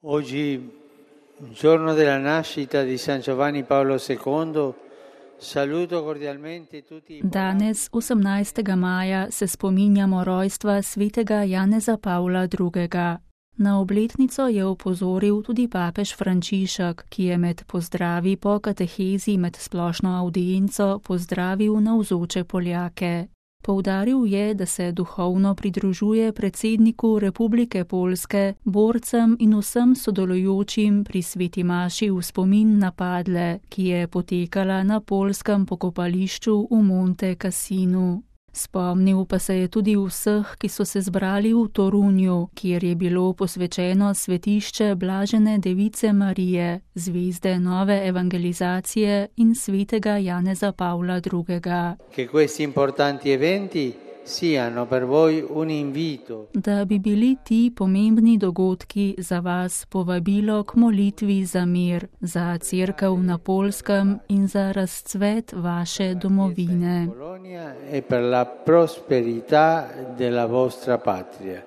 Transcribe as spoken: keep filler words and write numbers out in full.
Oggi, giorno della nascita di San Giovanni Paolo secondo, saluto cordialmente tutti. Danes, osemnajstega maja, se spominjamo rojstva svetega Janeza Pavla drugega. Na obletnico je opozoril tudi papež Frančišek, ki je med pozdravi po katehezi med splošno avdienco pozdravil navzoče Poljake. Poudaril je, da se duhovno pridružuje predsedniku Republike Poljske, borcem in vsem sodelujočim pri sveti maši v spomin na padle, ki je potekala na poljskem pokopališču v Monte Cassinu. Spomnil pa se je tudi vseh, ki so se zbrali v Torunju, kjer je bilo posvečeno svetišče Blažene device Marije, zvezde nove evangelizacije in svetega Janeza Pavla drugega. Che questi importanti eventi siano per voi un invito. Da bi bili ti pomembni dogodki za vas povabilo k molitvi za mir, za cerkev na Poljskem in za razcvet vaše domovine. E per la prosperità della vostra patria.